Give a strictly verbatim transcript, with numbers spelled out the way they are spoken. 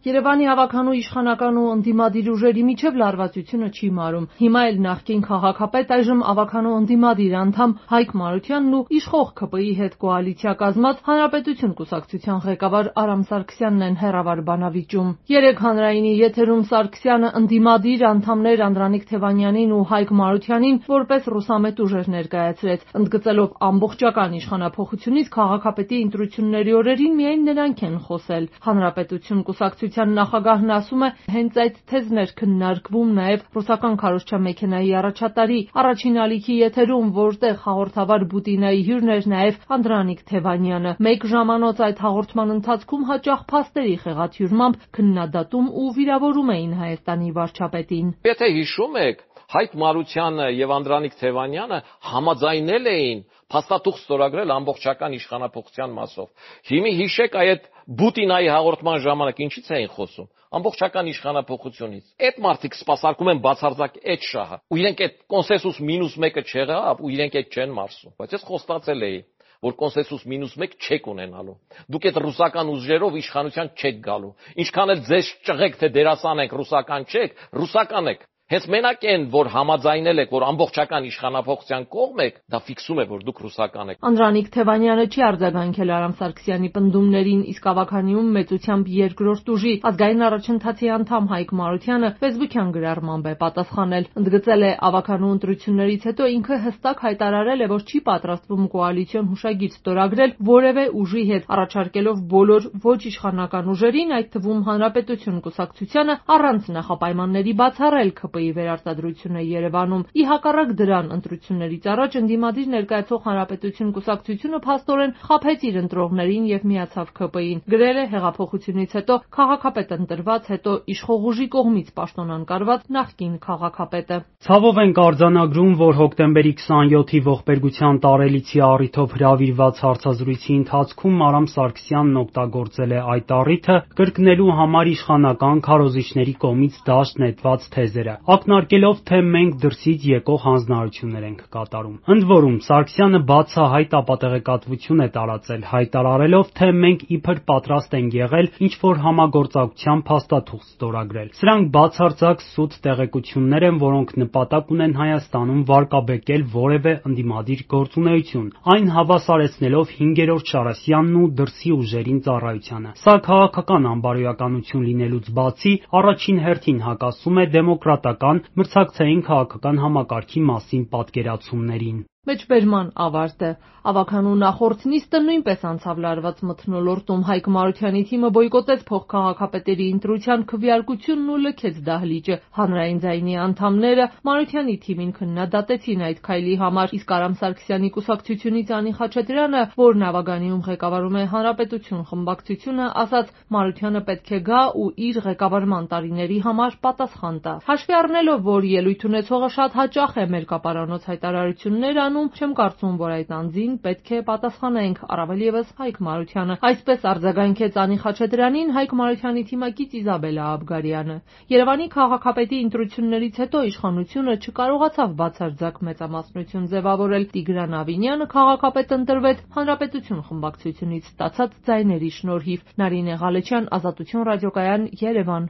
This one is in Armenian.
Երևանի հավաքանու իշխանական ու ընդդիմադիր ուժերի միջև լարվածությունը չի մարում։ Հիմա էլ նախկին քաղաքապետ, այժմ ավագանու ընդդիմադիր անդամ Հայկ Մարությանն ու իշխող ՔՊ-ի հետ կոալիցիա կազմած Հանրապետություն կուսակցության ղեկավար Արամ Սարգսյանն են հեռավար բանավիճում։ Երեկ հանրայինի եթերում Սարգսյանը ընդդիմադիր անդամներ Անդրանիկ Թևանյանին ու Հայկ Մարությանին որպես ռուսամետ ուժեր ներկայացրեց, ընդգծելով ամբողջական իշխանափոխությունից քաղաքապետի ընտրությունների օրերին միայն նրանք են խոսել։ Հանրապետություն կուսակցության նախագահն ասում է, հենց այդ թեզն էր քննարկվում նաև ռուսական քարոզչամեքենայի առաջատարի առաջին ալիքի եթերում, որտեղ հաղորդավար Բուտինայի հյուրն էր նաև Անդրանիկ Թևանյանը։ Մեկ ժամանոց այդ հաղորդման ընթացքում հաճախ փաստերի խեղաթյուրմամբ քննադատում ու վիրավորում էին Հայաստանի վարչապետին։ Եթե հիշում եք, Հայկ Մարությանը եւ Անդրանիկ Թևանյանը համաձայնել էին փաստաթուղթ ստորագրել ամբողջական իշխանափոխության մասով։ Հիմի հիշեք այդ Բուտինայի հաղորդման ժամանակ ինչից էին խոսում։ Ամբողջական իշխանափոխությունից։ Այդ մարդիկ սպասարկում են բացարձակ այդ շահը։ Ու իրենք այդ կոնսենսուս մինուս մեկը չեղավ ու իրենք այդ չեն մարսում։ Բայց ես խոստացել էի, որ կոնսենսուս մինուս մեկ չեք ունենալու։ Դուք այդ ռուսական ուժերով իշխանության չեք գալու։ Ինչքան էլ ձեզ ճղեք, թե դերասան եք, ռուսական չեք, ռուսական եք։ Հենց մենակ են, որ համաձայնել եք, որ ամբողջական իշխանափոխության կողմ եք, դա ֆիքսում է, որ դուք ռուսական եք։ Անդրանիկ Թևանյանը չի արձագանքել Արամ Սարգսյանի պնդումներին, իսկ ավագանիում մեծությամբ երկրորդ ուժի ազգային առաջընթացի անդամ Հայկ Մարությանը ֆեյսբուքյան գրառմամբ է պատասխանել։ Ընդգծել է ավագանու ընտրություններից հետո ինքը հստակ հայտարարել է, որ չի պատրաստվում կոալիցիոն հուշագիր ստորագրել որևէ ուժի հետ, առաջարկելով բոլոր ոչ իշխանական ուժերին, այդ թվում Հանրապետություն կուսակցությանը, առանց նախապայմանների բացառել ՔՊ-ի վերարտադրությունը Երևանում։ Ի հակառակ դրան, ընտրություններից առաջ ընդդիմադիր ներկայացող Հանրապետություն կուսակցությունը փաստորեն խաբեց իր ընտրողներին եւ միացավ ՔՊ-ին։ Գրել է հեղափոխությունից հետո քաղաքապետ ընտրված, հետո իշխող ուժի կողմից պաշտոնանկարված նախկին քաղաքապետը։ Ցավով ենք արձանագրում, որ հոկտեմբերի քսաներկուի ողբերգության տարելիցի առիթով հրավիրված հարցազրույցի ընթացքում Արամ Սարգսյանն օգտագործել է այդ առիթը կրկնելու համար իշխանական քարոզիչների կողմից դաշտ նետված թեզերը, ակնարկելով, թե մենք դրսից եկող հանձնարարություններ ենք կատարում։ Ընդ որում, Սարգսյանը բացահայտ ապատեղեկատվություն է տարածել, հայտարարելով, թե մենք իբր պատրաստ ենք եղել ինչ-որ համագործակցության փաստաթուղթ ստորագրել։ Սրանք բացարձակ սուտ տեղեկություններ են, որոնք նպատակ ունեն Հայաստանում վարկաբեկել որևէ ընդդիմադիր գործունեություն, այն հավասարեցնելով հինգերորդ Շարասյանն ու դրսի ուժերին ծառայությանը։ Սա քաղաքական անբարոյականություն լինելուց բացի, առաջին հերթին հակասում է դեմոկրատական մրցակցային քաղաքական համակարգի մասին պատկերացումներին։ Մեջբերման ավարտը։ Ավագանու նախորդ նիստը նույնպես անցավ լարված մթնոլորտում։ Հայկ Մարությանի թիմը բոյկոտեց փոխքաղաքապետերի ընտրության քվեարկությունն ու լքեց դահլիճը։ Հանրային ձայնի անդամները Մարությանի թիմին քննադատեցին այդ քայլի համար, իսկ Արամ Սարգսյանի կուսակցությունից Անի Խաչատրյանը, որն ավագանիում ղեկավարում է Հանրապետություն խմբակցությունը, ասաց Մարությանը պետք է գա ու իր ղեկավարման տարիների համար պատասխան տա։ Հաշվի առնելով, որ ելույթ ունեցողը շատ հաճախ է մերկապարանոց հայտարարություններ անում, չեմ կարծում, որ այդ անձին պետք է պատասխանենք, առավել ևս Հայկ Մարությանը։ Այսպես արձագանքեց Անի Խաչատրյանին Հայկ Մարությանի թիմակից Իզաբելլա Աբգարյանը։ Երևանի քաղաքապետի ընտրություններից հետո իշխանությունը չկարողացավ բացարձակ մեծամասնություն ձևավորել։ Տիգրան Ավինյանը քաղաքապետ ընտրվեց Հանրապետություն խմբակցությունից ստացած ձայների շնորհիվ։ Նարինե Ղալեչյան, Ազատություն ռադիոկայան, Երևան։